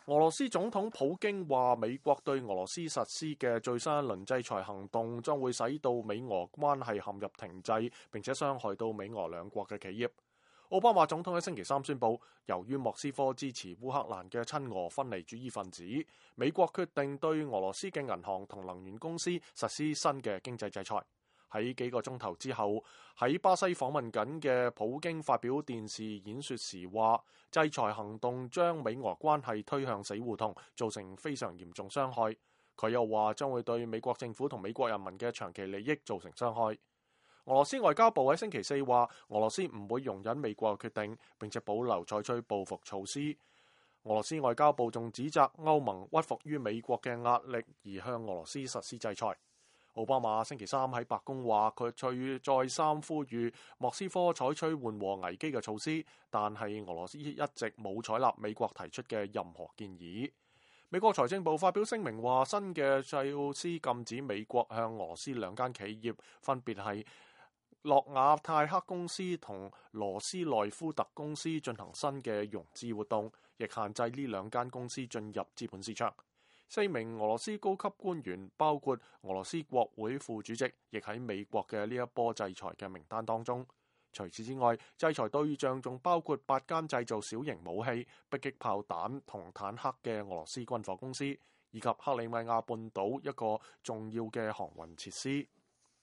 俄羅斯總統普京話，美國對俄羅斯實施嘅最新一輪制裁行動將會使到美俄關係陷入停滯，並且傷害到美俄兩國嘅企業。奧巴馬總統喺星期三宣布，由於莫斯科支持烏克蘭嘅親俄分離主義分子，美國決定對俄羅斯嘅銀行同能源公司實施新嘅經濟制裁。喺幾個鐘頭之後，喺巴西訪問緊嘅普京發表電視演說時話，制裁行動將美俄關係推向死胡同，造成非常嚴重傷害。佢又話將會對美國政府同美國人民嘅長期利益造成傷害。俄羅斯外交部喺星期四話，俄羅斯唔會容忍美國嘅決定，並且保留採取報復措施。俄羅斯外交部仲指責歐盟屈服於美國嘅壓力而向俄羅斯實施制裁。奧巴馬星期三喺白宮話，佢再三呼籲莫斯科採取緩和危機嘅措施，但係俄羅斯一直冇採納美國提出嘅任何建議。美國財政部發表聲明話，新嘅措施禁止美國向俄羅斯兩間企業，分別係諾瓦泰克公司同羅斯內夫特公司進行新嘅融資活動，亦限制呢兩間公司進入資本市場。4名俄羅斯高級官員，包括俄羅斯國會副主席，亦喺美國嘅呢一波制裁嘅名單當中。除此之外，制裁對象仲包括8間製造小型武器、迫擊炮彈同坦克嘅俄羅斯軍火公司，以及克里米亞半島一個重要嘅航運設施。